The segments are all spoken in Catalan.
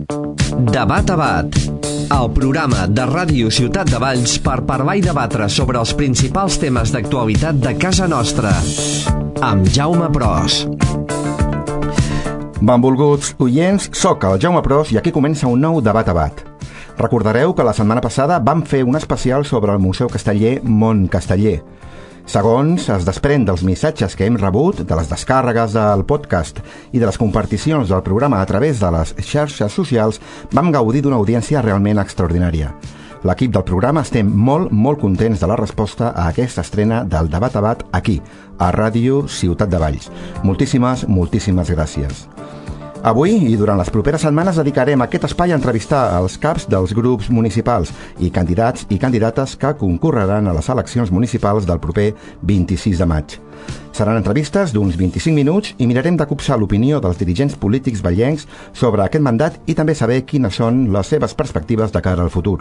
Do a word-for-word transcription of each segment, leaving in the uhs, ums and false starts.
Debat a Bat, el programa de Ràdio Ciutat de Valls per parlar i debatre sobre els principals temes d'actualitat de casa nostra, amb Jaume Pros. Benvolguts oients, soc el Jaume Pros i aquí comença un nou Debat a Bat. Recordareu que la setmana passada vam fer un especial sobre el Museu Casteller Mont Casteller. Segons es desprèn dels missatges que hem rebut, de les descàrregues del podcast i de les comparticions del programa a través de les xarxes socials, vam gaudir d'una audiència realment extraordinària. L'equip del programa estem molt, molt contents de la resposta a aquesta estrena del Debat a Bat aquí, a Ràdio Ciutat de Valls. Moltíssimes, moltíssimes gràcies. Avui i durant les properes setmanes dedicarem aquest espai a entrevistar els caps dels grups municipals i candidats i candidates que concorreran a les eleccions municipals del proper vint-i-sis de maig. Seran entrevistes d'uns vint-i-cinc minuts i mirarem de copsar l'opinió dels dirigents polítics vallencs sobre aquest mandat i també saber quines són les seves perspectives de cara al futur.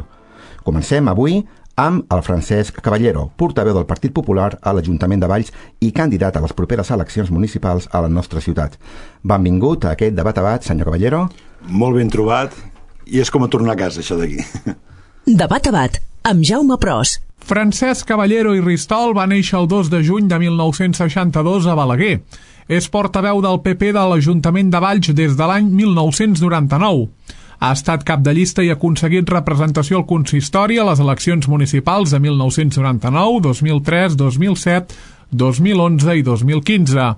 Comencem avui amb el Francesc Caballero, portaveu del Partit Popular a l'Ajuntament de Valls i candidat a les properes eleccions municipals a la nostra ciutat. Benvingut a aquest Debat a Bat, senyor Caballero. Molt ben trobat, i és com a tornar a casa, això d'aquí. Debat a Bat, amb Jaume Pros. Francesc Caballero i Ristol va néixer el dos de juny de mil nou-cents seixanta-dos a Balaguer. És portaveu del P P de l'Ajuntament de Valls des de l'any mil nou-cents noranta-nou. Ha estat cap de llista i ha aconseguit representació al consistori a les eleccions municipals de mil nou-cents noranta-nou, dos mil tres, dos mil set, dos mil onze i dos mil quinze.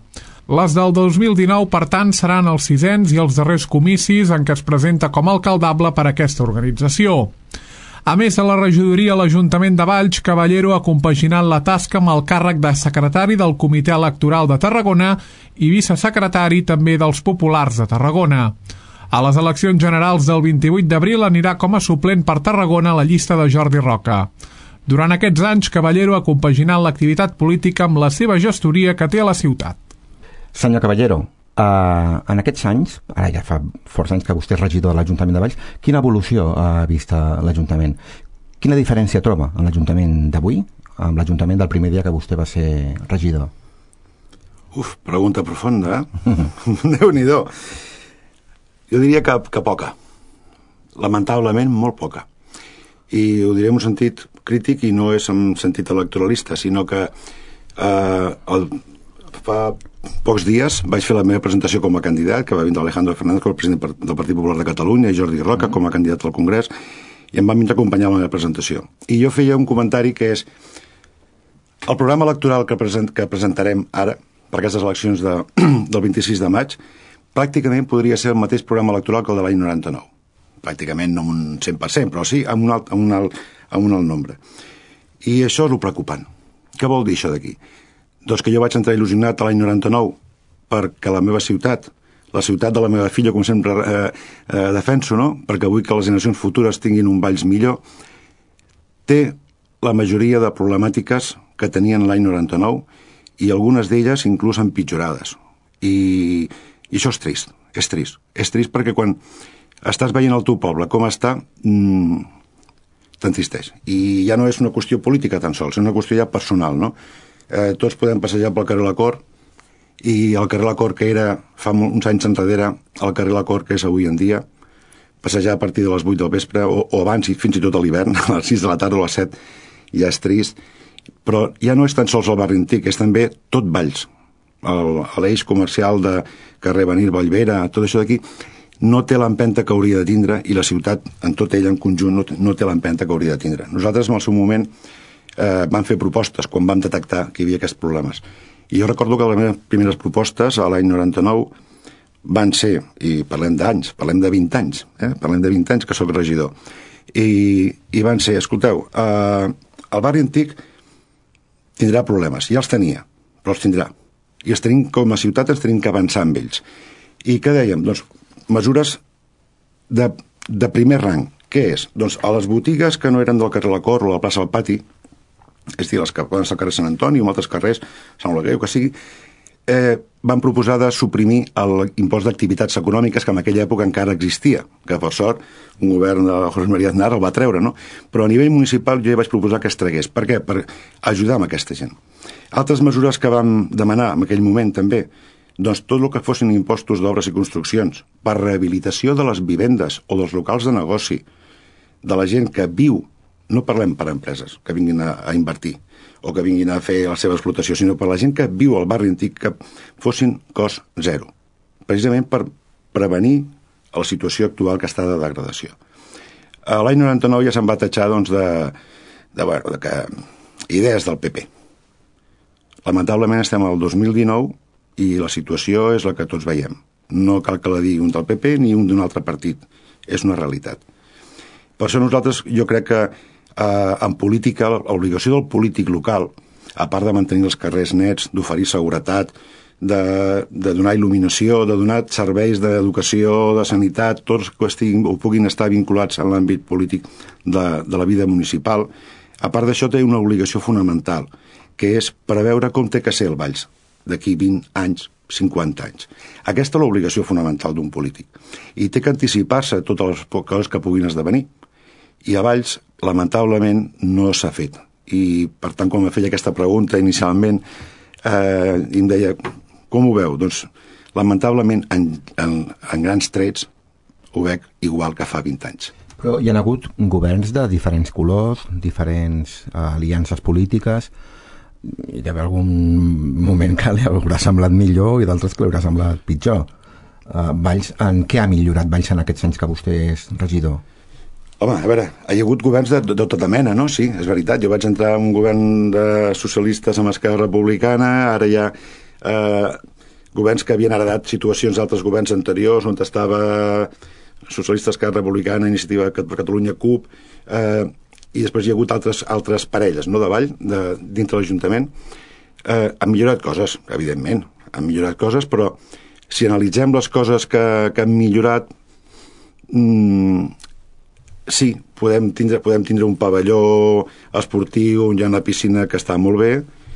Les del dos mil dinou, per tant, seran els sisens i els darrers comicis en què es presenta com a alcaldable per a aquesta organització. A més de la regidoria a l'Ajuntament de Valls, Caballero ha compaginat la tasca amb el càrrec de secretari del Comitè Electoral de Tarragona i vicesecretari també dels Populars de Tarragona. A les eleccions generals del vint-i-vuit d'abril anirà com a suplent per Tarragona a la llista de Jordi Roca. Durant aquests anys, Caballero ha compaginat l'activitat política amb la seva gestoria que té a la ciutat. Senyor Caballero, uh, en aquests anys, ara ja fa força anys que vostè és regidor de l'Ajuntament de Valls, quina evolució ha vist l'Ajuntament? Quina diferència troba en l'Ajuntament d'avui amb l'Ajuntament del primer dia que vostè va ser regidor? Uf, pregunta profunda, eh? Déu-n'hi-do. Jo diria que, que poca. Lamentablement, molt poca. I ho diré en un sentit crític i no és en sentit electoralista, sinó que eh, el, fa pocs dies vaig fer la meva presentació com a candidat, que va vindre Alejandro Fernández, com a president del Partit Popular de Catalunya, i Jordi Roca com a candidat al Congrés, i em van vindre a acompanyar la meva presentació. I jo feia un comentari que és el programa electoral que, present, que presentarem ara, per aquestes eleccions de, del vint-i-sis de maig, pràcticament podria ser el mateix programa electoral que el de l'any noranta-nou. Pràcticament no un cent per cent, però sí amb un alt, amb un alt, amb un alt nombre. I això és el preocupant. Què vol dir això d'aquí? Doncs que jo vaig entrar il·lusionat l'any noranta-nou perquè la meva ciutat, la ciutat de la meva filla, com sempre eh, eh, defenso, no? Perquè vull que les generacions futures tinguin un Valls millor, té la majoria de problemàtiques que tenien l'any noranta-nou i algunes d'elles inclús empitjorades. I... I això és trist, és trist. És trist perquè quan estàs veient el teu poble com està, mmm, t'entristeix. I ja no és una qüestió política tan sols, és una qüestió ja personal, no? Eh, tots podem passejar pel carrer La Cort i el carrer La Cort que era fa uns anys enrere, el carrer La Cort que és avui en dia, passejar a partir de les vuit del vespre o, o abans i fins i tot a l'hivern, a les sis de la tarda o a les set, ja és trist. Però ja no és tan sols el barri antic, és també tot Valls. L'eix comercial de carrer Benir, Vallvera, tot això d'aquí, no té l'empenta que hauria de tindre i la ciutat, en tot ell en conjunt, no, no té l'empenta que hauria de tindre. Nosaltres, en el seu moment, eh, vam fer propostes quan vam detectar que hi havia aquests problemes. I jo recordo que les meves primeres propostes, a l'any noranta-nou, van ser, i parlem d'anys, parlem de vint anys, eh? parlem de vint anys que sóc regidor, i, i van ser, escolteu, eh, el barri antic tindrà problemes, ja els tenia, però els tindrà. I els tenim, com a ciutat ens tenim que avançar amb ells. I què dèiem? Doncs mesures de, de primer rang. Què és? Doncs a les botigues que no eren del carrer La Cort o la plaça del Pati, és a dir, les que poden ser al carrer Sant Antoni o altres carrers, Sant Oleguer, o que sigui, eh, van proposar de suprimir l'impost d'activitats econòmiques que en aquella època encara existia, que per sort un govern de José María Aznar el va treure, no? Però a nivell municipal jo ja vaig proposar que es tragués. Per què? Per ajudar amb aquesta gent. Altres mesures que vam demanar en aquell moment també, doncs tot el que fossin impostos d'obres i construccions, per rehabilitació de les vivendes o dels locals de negoci, de la gent que viu, no parlem per empreses que vinguin a, a invertir o que vinguin a fer la seva explotació, sinó per la gent que viu al barri antic, que fossin cost zero, precisament per prevenir la situació actual que està de degradació. L'any noranta-nou ja se'n va tatxar doncs, de, de, bueno, de que, idees del P P. Lamentablement estem al dos mil dinou i la situació és la que tots veiem. No cal que la digui un del P P ni un d'un altre partit. És una realitat. Per això nosaltres, jo crec que eh, en política, l'obligació del polític local, a part de mantenir els carrers nets, d'oferir seguretat, de, de donar il·luminació, de donar serveis d'educació, de sanitat, tots que estiguin o puguin estar vinculats en l'àmbit polític de, de la vida municipal, a part d'això té una obligació fonamental, que és preveure com té que ser el Valls d'aquí vint anys, cinquanta anys. Aquesta és l'obligació fonamental d'un polític. I té que anticipar-se a totes les coses que puguin esdevenir. I a Valls, lamentablement, no s'ha fet. I, per tant, quan em feia aquesta pregunta inicialment, eh, em deia, com ho veu? Doncs, lamentablement, en, en, en grans trets, ho veig igual que fa vint anys. Però hi ha hagut governs de diferents colors, diferents eh, aliances polítiques. Hi ha d'haver algun moment que li haurà semblat millor i d'altres que li haurà semblat pitjor. Uh, Valls, en què ha millorat Valls en aquests anys que vostè és regidor? Home, a veure, hi ha hagut governs de, de, de tota mena, no? Sí, és veritat. Jo vaig entrar en un govern de socialistes amb Esquerra Republicana, ara hi ha eh, governs que havien heredat situacions d'altres governs anteriors, on estava socialistes, Esquerra Republicana, Iniciativa per Catalunya, C U P, eh, i després hi ha hagut altres, altres parelles, no, de Vall, de, dintre l'Ajuntament. Eh, han millorat coses, evidentment, han millorat coses, però si analitzem les coses que, que han millorat, mmm, sí, podem tindre, podem tindre un pavelló esportiu on hi ha una piscina que està molt bé,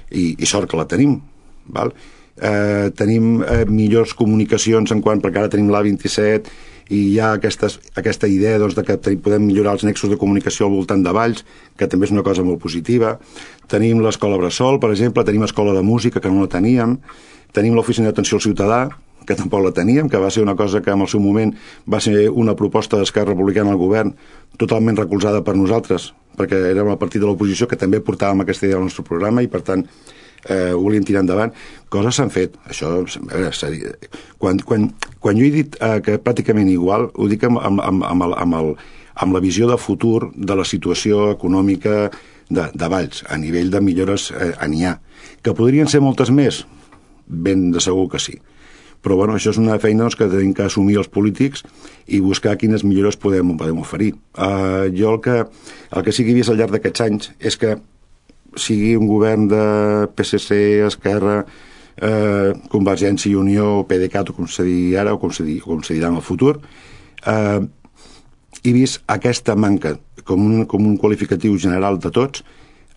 i, i sort que la tenim, val? Eh, tenim eh, millors comunicacions en quant, perquè ara tenim l'A vint-i-set i hi ha aquestes, aquesta idea doncs, de que podem millorar els nexos de comunicació al voltant de Valls, que també és una cosa molt positiva. Tenim l'escola Bressol, per exemple, tenim escola de música, que no la teníem, tenim l'oficina d'atenció al ciutadà, que tampoc la teníem, que va ser una cosa que en el seu moment va ser una proposta d'Esquerra Republicana al govern totalment recolzada per nosaltres, perquè érem el partit de l'oposició que també portàvem aquesta idea al nostre programa i, per tant, eh, ho volíem tirar endavant. Coses s'han fet. Això, a veure, quan, quan, quan jo he dit eh, que pràcticament igual, ho dic amb, amb, amb, amb, el, amb, el, amb la visió de futur de la situació econòmica de, de Valls, a nivell de millores eh, n'hi ha. Que podrien ser moltes més? Ben de segur que sí. Però bueno, això és una feina doncs, que tenim que assumir els polítics i buscar quines millores podem, podem oferir. Uh, jo el que, el que sí que he vist al llarg d'aquests anys és que sigui un govern de P S C, Esquerra, eh, Convergència i Unió, PDeCAT, o com se digui ara, o com se, digui, com se dirà en el futur, eh, he vist aquesta manca, com un, com un qualificatiu general de tots,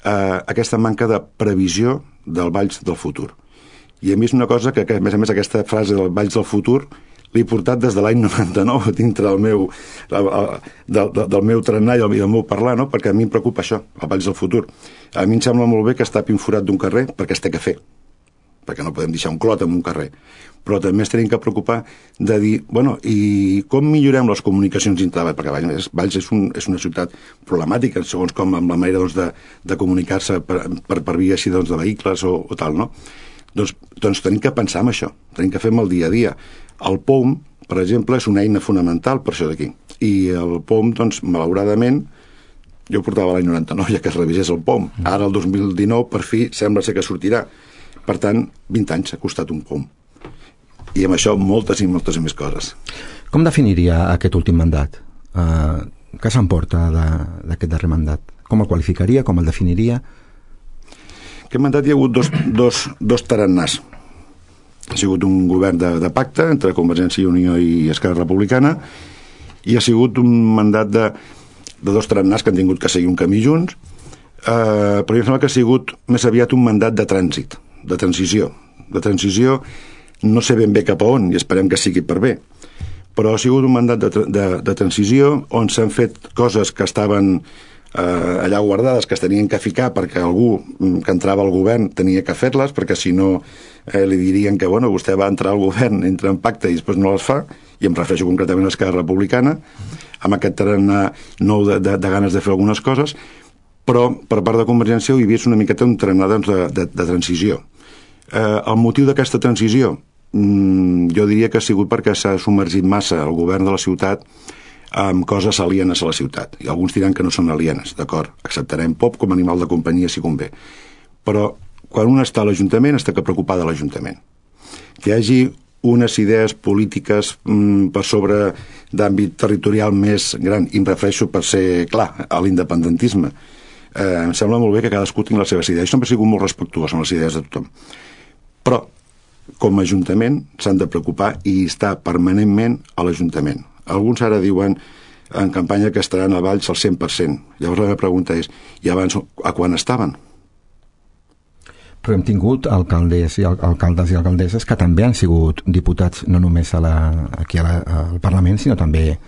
eh, aquesta manca de previsió del Valls del futur. I hem vist una cosa que, que, a més a més, aquesta frase del Valls del futur l'he portat des de l'any noranta-nou dintre del meu, del, del meu trenar i del meu parlar, no? Perquè a mi em preocupa això, el Valls del futur. A mi em sembla molt bé que es tapi un forat d'un carrer perquè es té que fer, perquè no podem deixar un clot en un carrer. Però també es tenim que preocupar de dir, bueno, i com millorem les comunicacions dintre de Valls? Perquè Valls, Valls és, un, és una ciutat problemàtica, segons com amb la manera doncs, de, de comunicar-se per, per, per via així doncs, de vehicles o, o tal, no? Doncs, doncs tenim que pensar en això, tenim que fer el dia a dia. El P O M, per exemple, és una eina fonamental per això d'aquí. I el P O M, doncs, malauradament, jo portava l'any noranta-nou ja que es revisés el P O M. Ara, el dos mil dinou, per fi, sembla ser que sortirà. Per tant, vint anys ha costat un P O M. I amb això moltes i moltes més coses. Com definiria aquest últim mandat? Uh, què s'emporta d'aquest darrer mandat? Com el qualificaria? Com el definiria? Aquest mandat hi ha hagut dos, dos, dos tarannàs. Ha sigut un govern de, de pacte entre Convergència i Unió i Esquerra Republicana i ha sigut un mandat de, de dos tarannàs que han tingut que seguir un camí junts, eh, però em sembla que ha sigut més aviat un mandat de trànsit, de transició. De transició no sé ben bé cap a on i esperem que sigui per bé, però ha sigut un mandat de, de, de transició on s'han fet coses que estaven eh, allà guardades que es tenien que ficar perquè algú que entrava al govern tenia que fer-les, perquè si no eh, li dirien que bueno, vostè va entrar al govern, entra en pacte i després no les fa, i em refereixo concretament a Esquerra Republicana, amb aquest tarannà nou de, de, de ganes de fer algunes coses, però per part de Convergència ho hi havia una miqueta un tarannà doncs, de, de, de transició. Eh, el motiu d'aquesta transició mm, jo diria que ha sigut perquè s'ha submergit massa el govern de la ciutat amb coses alienes a la ciutat, i alguns diran que no són alienes, d'acord, acceptarem Pop com a animal de companyia si convé, però quan un està a l'Ajuntament està que preocupar de l'Ajuntament, que hi hagi unes idees polítiques mm, per sobre d'àmbit territorial més gran, i em refereixo per ser clar a l'independentisme. Eh, em sembla molt bé que cadascú tingui les seves idees. Jo sempre he sigut molt respectuós amb les idees de tothom, però com a Ajuntament s'han de preocupar i estar permanentment a l'Ajuntament. Alguns ara diuen en campanya que estaran a Valls al cent per cent. Llavors la meva pregunta és, i abans a quan estaven? Però hem tingut alcaldes i alcaldes i alcaldesses que també han sigut diputats no només a la, aquí a la, al Parlament, sinó també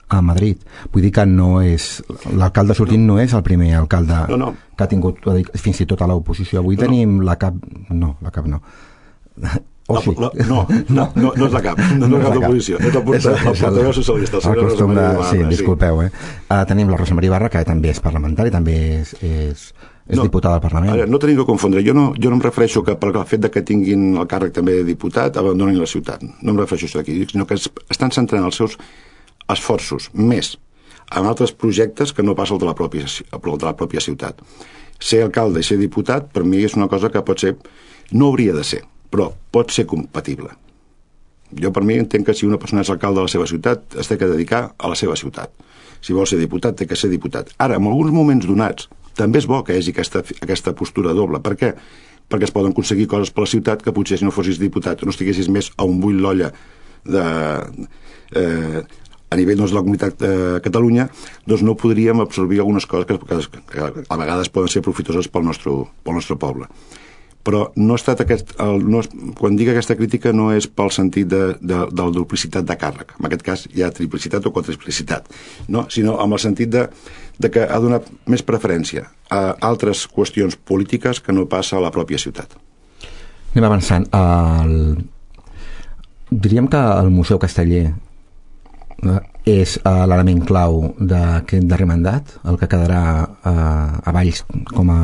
a Madrid. Vull dir que no és... L'alcalde sortint no. no és el primer alcalde no, no. que ha tingut fins i tot a l'oposició. Avui no, tenim no. la cap... No, la cap no. O sí? La, la, no, no, no, no és la cap, no, no és la cap d'oposició, és la portaveu socialista. El costum de... Sí, disculpeu, eh? Uh, tenim la Rosa Maria Ibarra, que també és parlamentari, també és... és és no, diputada del Parlament. Ara, no tenim que confondre. Jo no, jo no em refereixo que per el fet de que tinguin el càrrec també de diputat abandonin la ciutat. No em refereixo a això d'aquí, sinó que es, estan centrant els seus esforços més en altres projectes que no pas el de la pròpia, el de la pròpia ciutat. Ser alcalde i ser diputat, per mi és una cosa que pot ser... No hauria de ser, però pot ser compatible. Jo per mi entenc que si una persona és alcalde de la seva ciutat, es té que dedicar a la seva ciutat. Si vol ser diputat, té que ser diputat. Ara, en alguns moments donats, també és bo que hi hagi aquesta, aquesta postura doble. Per què? Perquè es poden aconseguir coses per la ciutat que potser si no fossis diputat o no estiguessis més a un bull l'olla de, eh, a nivell doncs, de la comunitat de Catalunya, doncs no podríem absorbir algunes coses que, que, que a vegades poden ser profitoses pel nostre, pel nostre poble. Però no ha estat aquest... El, no és, quan dic aquesta crítica no és pel sentit de, de, de la duplicitat de càrrec. En aquest cas hi ha triplicitat o quadruplicitat, no? Sinó amb el sentit de, de que ha donat més preferència a altres qüestions polítiques que no passa a la pròpia ciutat. Anem avançant. El... Diríem que el Museu Casteller és uh, l'element clau d'aquest darrer mandat, el que quedarà uh, a Valls com a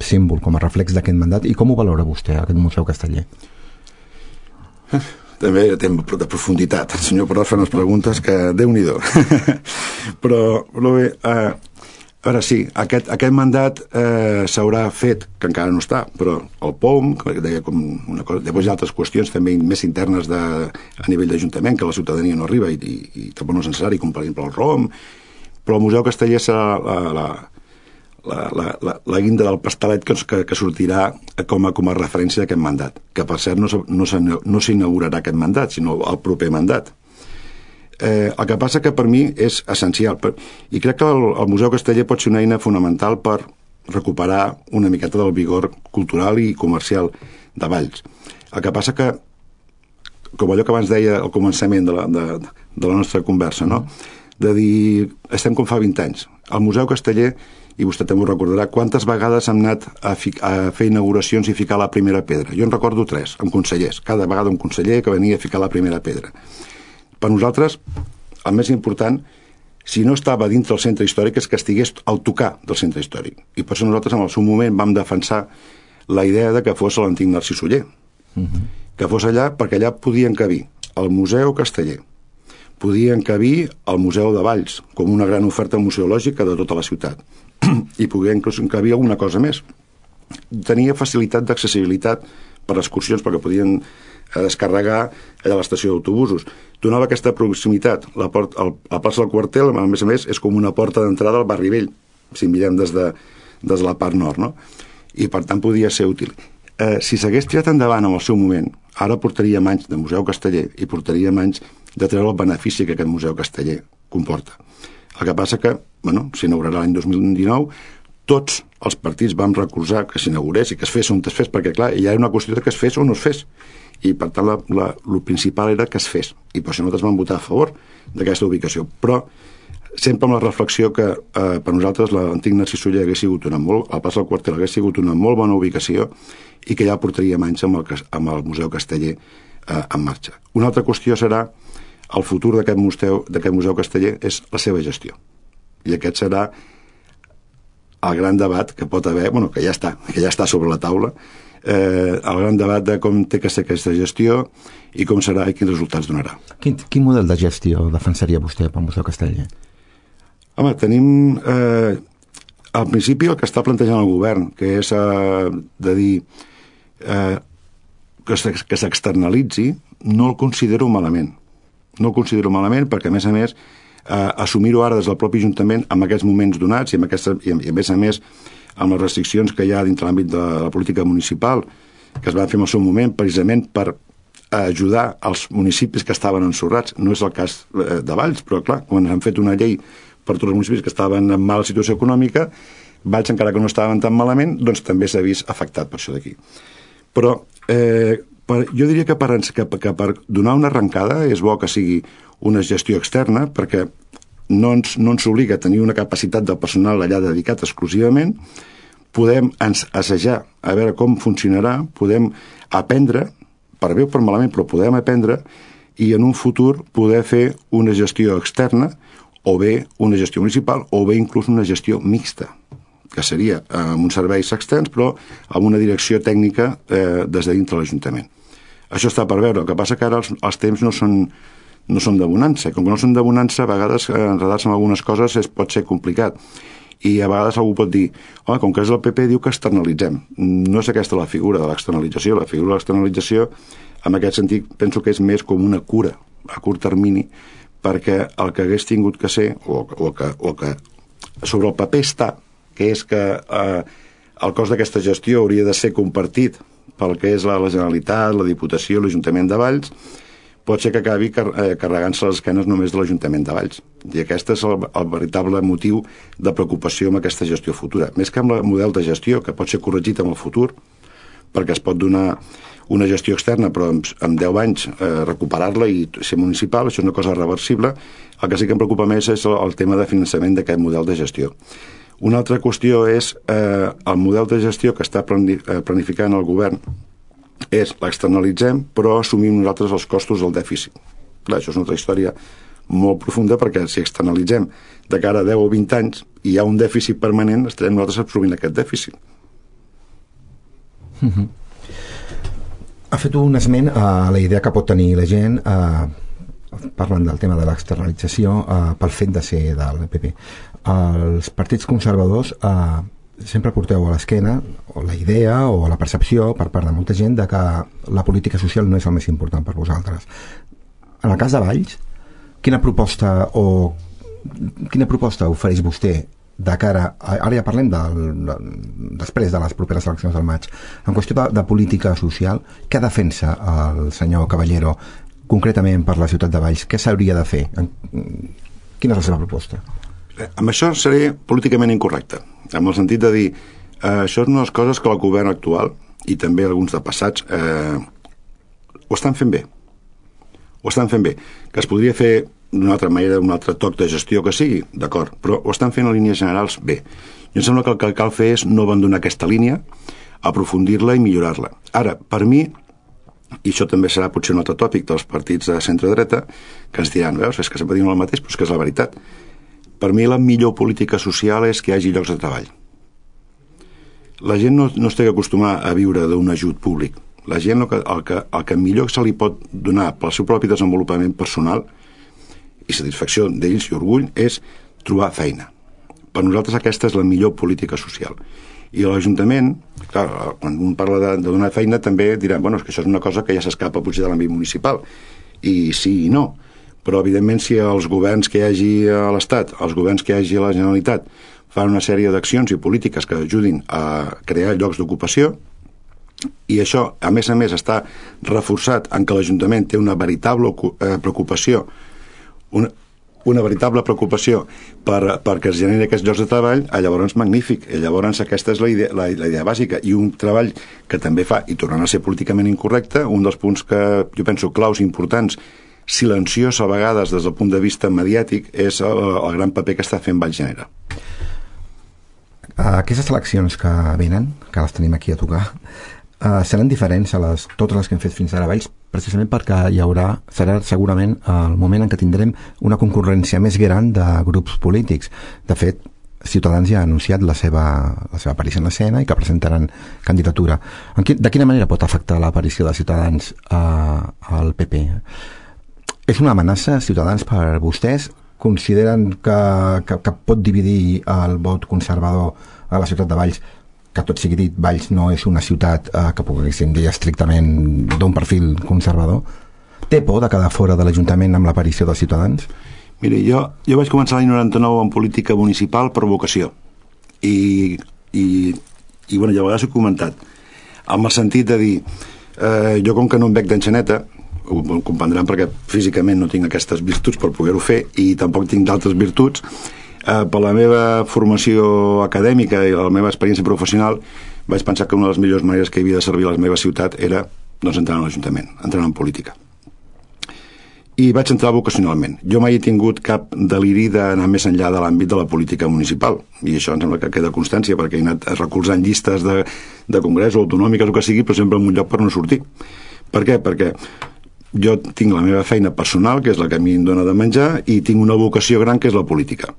símbol, com a reflex d'aquest mandat, i com ho valora vostè, aquest Museu Casteller? També té de profunditat. El senyor Perot fa unes preguntes que Déu-n'hi-do. però, però bé, uh, ara sí, aquest, aquest mandat eh, s'haurà fet, que encara no està, però el P O M, que deia com una cosa, després hi ha altres qüestions també més internes de, a nivell d'Ajuntament, que la ciutadania no arriba i, i, i tampoc no és necessari, com per exemple el R O M, però el Museu Casteller serà la, la, la, la, la, la guinda del pastelet que, que, que sortirà com a, com a referència d'aquest mandat, que per cert no, no, no s'inaugurarà aquest mandat, sinó el proper mandat. Eh, el que passa que per mi és essencial per, i crec que el, el Museu Casteller pot ser una eina fonamental per recuperar una miqueta del vigor cultural i comercial de Valls. El que passa que, com allò que abans deia al començament de la, de, de la nostra conversa, no? De dir, estem com fa vint anys. El Museu Casteller, i vostè també ho recordarà, quantes vegades hem anat a, fi, a fer inauguracions i ficar la primera pedra. Jo en recordo tres, amb consellers. Cada vegada un conseller que venia a ficar la primera pedra. Per nosaltres, el més important, si no estava dintre del centre històric, és que estigués al tocar del centre històric. I per això nosaltres, en el seu moment, vam defensar la idea de que fos l'antic Narcís Oller. Uh-huh. Que fos allà, perquè allà podien encabir el Museu Casteller, podien encabir el Museu de Valls, com una gran oferta museològica de tota la ciutat. I podien inclús encabir alguna cosa més. Tenia facilitat d'accessibilitat per excursions, perquè podien a descarregar allà a l'estació d'autobusos. Donava aquesta proximitat. La, port, el, la plaça del Quartel, a més a més, és com una porta d'entrada al barri vell, si mirem des de, des de la part nord, no? I per tant podia ser útil. Eh, si s'hagués tirat endavant en el seu moment, ara portaríem anys de Museu Casteller i portaríem anys de treure el benefici que aquest Museu Casteller comporta. El que passa que, bueno, s'inaugurarà l'any dos mil dinou, tots els partits vam recolzar que s'inaugurés i que es fes on es fes, perquè clar, ja era una qüestió de que es fes o no es fes. I per tant la, la, el principal era que es fes, i per això nosaltres vam votar a favor d'aquesta ubicació. Però sempre amb la reflexió que eh, per nosaltres l'antic Narcís Oller hagués sigut una molt, la plaça del Quartel hagués sigut una molt bona ubicació i que ja portaríem anys amb el, amb el Museu Casteller eh, en marxa. Una altra qüestió serà el futur d'aquest museu, d'aquest museu casteller és la seva gestió. I aquest serà el gran debat que pot haver, bueno, que ja està, que ja està sobre la taula, eh, el gran debat de com té que ser aquesta gestió i com serà i quins resultats donarà. Quin, quin model de gestió defensaria vostè pel Museu Casteller? Home, tenim eh, al principi el que està plantejant el govern, que és eh, de dir eh, que s'externalitzi, no el considero malament. No el considero malament perquè, a més a més, eh, assumir-ho ara des del propi Ajuntament en aquests moments donats i, amb aquesta, i, i a més a més amb les restriccions que hi ha dintre l'àmbit de la política municipal que es van fer en el seu moment precisament per ajudar els municipis que estaven ensorrats. No és el cas eh, de Valls, però clar, quan han fet una llei per tots els municipis que estaven en mala situació econòmica, Valls, encara que no estaven tan malament, doncs també s'ha vist afectat per això d'aquí. Però eh, per, jo diria que per, que, que per donar una arrencada és bo que sigui una gestió externa, perquè no ens, no ens obliga a tenir una capacitat del personal allà dedicat exclusivament, podem assajar a veure com funcionarà, podem aprendre, per bé o per malament, però podem aprendre i en un futur poder fer una gestió externa o bé una gestió municipal o bé inclús una gestió mixta, que seria amb uns serveis externs però amb una direcció tècnica eh, des de dintre l'Ajuntament. Això està per veure, el que passa que ara els, els temps no són, no són de bonança, com que no són de bonança a vegades eh, enredar-se en algunes coses es pot ser complicat i a vegades algú pot dir, home, com que és el P P diu que externalitzem. No és aquesta la figura de l'externalització, la figura de l'externalització en aquest sentit penso que és més com una cura a curt termini perquè el que hagués tingut que ser o, o, que, o que sobre el paper està, que és que eh, el cost d'aquesta gestió hauria de ser compartit pel que és la, la Generalitat, la Diputació, l'Ajuntament de Valls, pot ser que acabi car eh, carregant-se les esquenes només de l'Ajuntament de Valls. I aquest és el, el veritable motiu de preocupació amb aquesta gestió futura. Més que amb el model de gestió, que pot ser corregit en el futur, perquè es pot donar una gestió externa, però en, en deu anys eh, recuperar-la i ser municipal, això és una cosa reversible. El que sí que em preocupa més és el, el tema de finançament d'aquest model de gestió. Una altra qüestió és eh, el model de gestió que està planificant el govern és l'externalitzem, però assumim nosaltres els costos del dèficit. Clar, això és una altra història molt profunda, perquè si externalitzem de cara a deu o vint anys i hi ha un dèficit permanent, estarem nosaltres absorbint aquest dèficit. Mm-hmm. Ha fet un esment a la idea que pot tenir la gent eh, parlant del tema de l'externalització eh, pel fet de ser del P P. Els partits conservadors eh, sempre porteu a l'esquena o la idea o la percepció per part de molta gent de que la política social no és el més important per vosaltres. En el cas de Valls, quina proposta o quina proposta ofereix vostè de cara, a, ara ja parlem de, de, després de les properes eleccions del maig, en qüestió de, de política social, què defensa el senyor Caballero concretament per la ciutat de Valls? Què s'hauria de fer? Quina és la seva proposta? Amb això seré políticament incorrecte, amb el sentit de dir eh, això és una de les coses que el govern actual i també alguns de passats eh, ho estan fent bé ho estan fent bé, que es podria fer d'una altra manera, d'un altre toc de gestió que sigui, d'acord, però ho estan fent en línies generals bé. I em sembla que el que cal fer és no abandonar aquesta línia, aprofundir-la i millorar-la. Ara, per mi, i això també serà potser un altre tòpic dels partits de centre-dreta, que ens diran, veus, és que sempre diuen el mateix, però és que és la veritat. Per mi la millor política social és que hi hagi llocs de treball. La gent no, no es té que acostumar a viure d'un ajut públic. La gent el que, el, que, el que millor se li pot donar pel seu propi desenvolupament personal i satisfacció d'ells i orgull és trobar feina. Per nosaltres aquesta és la millor política social. I l'Ajuntament, clar, quan un parla de, de donar feina també dirà, bueno, és que això és una cosa que ja s'escapa potser de l'àmbit municipal. I sí i no. Però evidentment si els governs que hi hagi a l'Estat, els governs que hi hagi a la Generalitat fan una sèrie d'accions i polítiques que ajudin a crear llocs d'ocupació, i això, a més a més, està reforçat en que l'Ajuntament té una veritable preocupació una, una veritable preocupació per, perquè es generi aquests llocs de treball, llavors magnífic, i llavors aquesta és la idea, la, la idea bàsica, i un treball que també fa, i tornant a ser políticament incorrecte, un dels punts que jo penso claus importants silenciós a vegades des del punt de vista mediàtic, és el, el gran paper que està fent Valls Genera. Aquestes eleccions que venen, que les tenim aquí a tocar, uh, seran diferents a les, totes les que hem fet fins ara a Valls, precisament perquè hi haurà, serà segurament el moment en què tindrem una concurrència més gran de grups polítics. De fet, Ciutadans ja ha anunciat la seva, la seva aparició en l'escena i que presentaran candidatura. En qui, de quina manera pot afectar l'aparició de Ciutadans uh, al P P? És una amenaça, Ciutadans, per vostès? Consideren que, que, que pot dividir el vot conservador a la ciutat de Valls? Que tot sigui dit, Valls no és una ciutat eh, que poguéssim dir estrictament d'un perfil conservador. Té por de quedar fora de l'Ajuntament amb l'aparició dels Ciutadans? Miri, jo, jo vaig començar l'any noranta-nou en política municipal per vocació. I, i, i bueno, ja a vegades ho he comentat, amb el sentit de dir, eh, jo com que no em bec d'enxaneta, ho comprendran perquè físicament no tinc aquestes virtuts per poder-ho fer i tampoc tinc d'altres virtuts, eh, per la meva formació acadèmica i la meva experiència professional vaig pensar que una de les millors maneres que havia de servir a la meva ciutat era doncs, entrar en l'Ajuntament, entrar en política. I vaig entrar vocacionalment. Jo mai he tingut cap deliri d'anar més enllà de l'àmbit de la política municipal, i això em sembla que queda constància perquè he anat recolzant llistes de, de congrés o autonòmiques o que sigui, però sempre en un lloc per no sortir. Per què? Perquè jo tinc la meva feina personal, que és la que a mi em dona de menjar, i tinc una vocació gran, que és la política.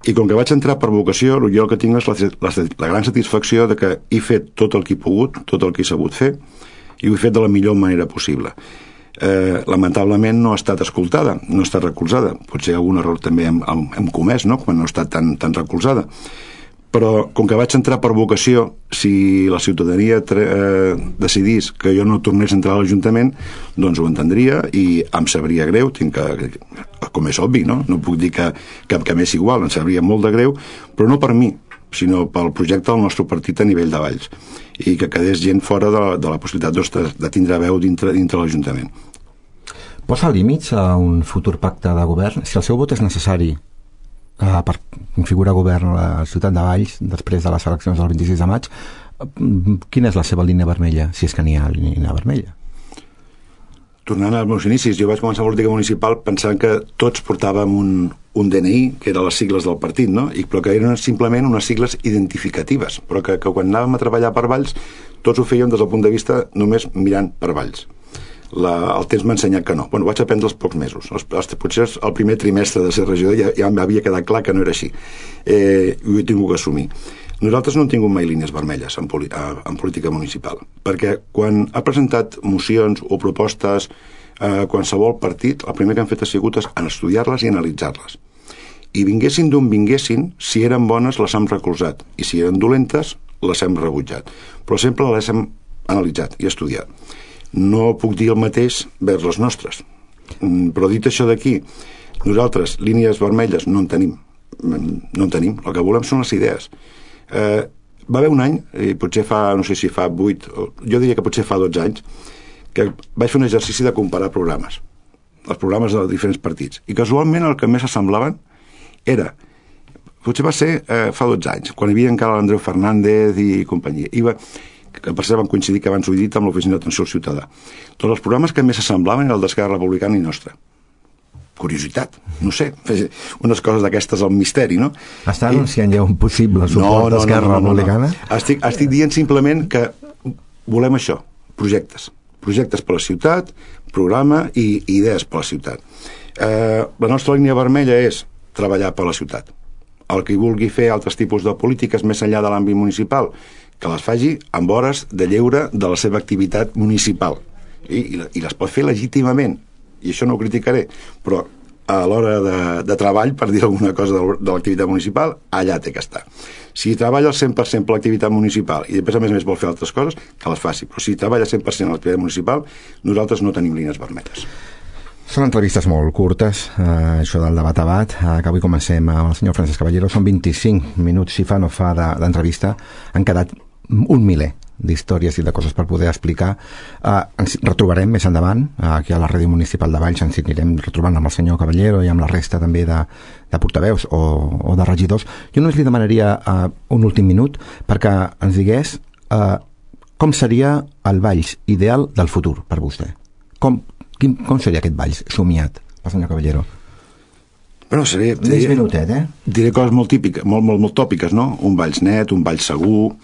I com que vaig entrar per vocació, jo el que tinc és la, la, la gran satisfacció de que he fet tot el que he pogut, tot el que he sabut fer, i ho he fet de la millor manera possible. Eh, lamentablement no ha estat escoltada, no ha estat recolzada. Potser algun error també hem, hem, hem comès, no?, quan no ha estat tan, tan recolzada. Però com que vaig entrar per vocació, si la ciutadania eh, decidís que jo no tornés a entrar a l'Ajuntament, doncs ho entendria i em sabria greu, tinc que, com és obvi, no? No puc dir que, que, que m'és igual, em sabria molt de greu, però no per mi, sinó pel projecte del nostre partit a nivell de Valls, i que quedés gent fora de la, de la possibilitat doncs, de, de tindre veu dintre, dintre l'Ajuntament. Posa límits a un futur pacte de govern? Si el seu vot és necessari Uh, per configurar govern a la ciutat de Valls després de les eleccions del vint-i-sis de maig, quina és la seva línia vermella, si és que n'hi ha línia vermella? Tornant als meus inicis, jo vaig començar a política municipal pensant que tots portàvem un, un D N I, que eren les sigles del partit, no? I, però que eren simplement unes sigles identificatives, però que, que quan anàvem a treballar per Valls tots ho fèiem des del punt de vista només mirant per Valls. La, el temps m'ha ensenyat que no. Bueno, vaig aprendre els pocs mesos. Els, els, potser el primer trimestre de ser regidor ja, ja m'havia quedat clar que no era així. Eh, ho he tingut que assumir. Nosaltres no hem tingut mai línies vermelles en, poli, en política municipal, perquè quan ha presentat mocions o propostes eh, qualsevol partit, el primer que han fet ha sigut en estudiar-les i analitzar-les. I vinguessin d'on vinguessin, si eren bones les hem recolzat, i si eren dolentes les hem rebutjat. Però sempre les hem analitzat i estudiat. No puc dir el mateix vers les nostres. Però dit això d'aquí, nosaltres línies vermelles no en tenim. No en tenim. El que volem són les idees. Eh, va haver un any, i potser fa, no sé si fa vuit, jo diria que potser fa dotze anys, que vaig fer un exercici de comparar programes. Els programes de diferents partits. I casualment el que més s'assemblaven era, potser va ser eh, fa dotze anys, quan hi havia encara l'Andreu Fernández i companyia. I va... que per cert van coincidir que abans ho he dit amb l'Oficina d'Atenció al Ciutadà. Tots els programes que més s'assemblaven eren el d'Esquerra Republicana i nostre. Curiositat, no sé, unes coses d'aquestes al misteri, no? Està anunciant ja un possible suport no, no, d'Esquerra no, no, no, Republicana? No, no. Estic, estic dient simplement que volem això, projectes. Projectes per la ciutat, programa i idees per la ciutat. Eh, la nostra línia vermella és treballar per la ciutat. El que vulgui fer altres tipus de polítiques més enllà de l'àmbit municipal, que les faci amb hores de lleure de la seva activitat municipal. I, i, i les pot fer legítimament, i això no ho criticaré, però a l'hora de, de treball, per dir alguna cosa de, de l'activitat municipal, allà té que estar. Si treballa al cent per cent per l'activitat municipal i després a més a més vol fer altres coses, que les faci, però si treballa cent per cent a l'activitat municipal, nosaltres no tenim línies vermelles. Són entrevistes molt curtes, eh, això del debat a bat, eh, que avui comencem amb el senyor Francesc Caballero. Són vint-i-cinc minuts, si fa no fa, d'entrevista. Han quedat un miler d'històries i de coses per poder explicar. Eh, ens retrobarem més endavant, eh, aquí a la Ràdio Municipal de Valls, ens anirem retrobant amb el senyor Caballero i amb la resta també de, de portaveus o, o de regidors. Jo només li demanaria eh, un últim minut perquè ens digués eh, com seria el Valls ideal del futur per vostè. Com Quin, com seria aquest Valls somiat, el senyor Caballero? Bueno, seré, diré, minutet, eh? diré coses molt típiques, molt, molt, molt tòpiques, no? Un Valls net, un Valls segur,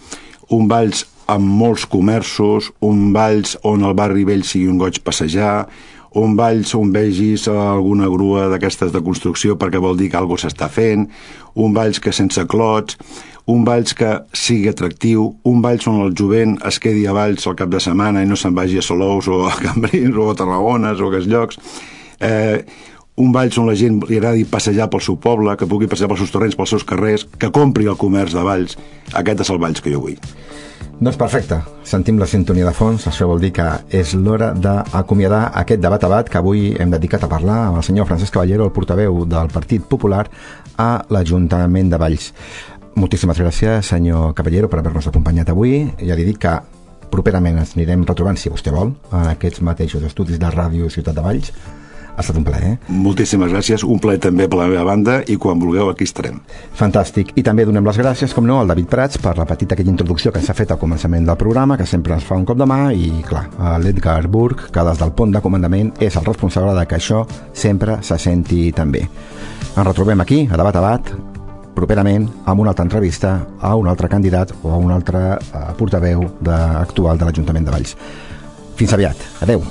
un Valls amb molts comerços, un Valls on el barri vell sigui un goig passejar, un Valls on vegis alguna grua d'aquestes de construcció perquè vol dir que alguna cosa s'està fent, un Valls que sense clots, un Valls que sigui atractiu, un Valls on el jovent es quedi a Valls al cap de setmana i no se'n vagi a Salous o a Cambrils o a Tarragones o a aquests llocs, eh, un Valls on la gent li agradi passejar pel seu poble, que pugui passejar pels seus torrents, pels seus carrers, que compri el comerç de Valls. Aquest és el Valls que jo vull. Doncs perfecte, sentim la sintonia de fons, això vol dir que és l'hora d'acomiadar aquest debat a bat que avui hem dedicat a parlar amb el senyor Francesc Caballero, el portaveu del Partit Popular a l'Ajuntament de Valls. Moltíssimes gràcies, senyor Caballero, per haver-nos acompanyat avui. Ja li dic que properament ens anirem retrobant, si vostè vol, en aquests mateixos estudis de Ràdio Ciutat de Valls. Ha estat un plaer, eh? Moltíssimes gràcies, un plaer també per la meva banda i quan vulgueu aquí estarem. Fantàstic. I també donem les gràcies, com no, al David Prats per la petita aquella introducció que s'ha fet al començament del programa, que sempre ens fa un cop de mà, i clar, a l'Edgar Burg, que des del pont de comandament és el responsable de que això sempre se senti tan bé. Ens retrobem aquí, a Debat a Bat, properament amb una altra entrevista a un altre candidat o a un altre uh, portaveu de, actual de l'Ajuntament de Valls. Fins aviat. Adeu.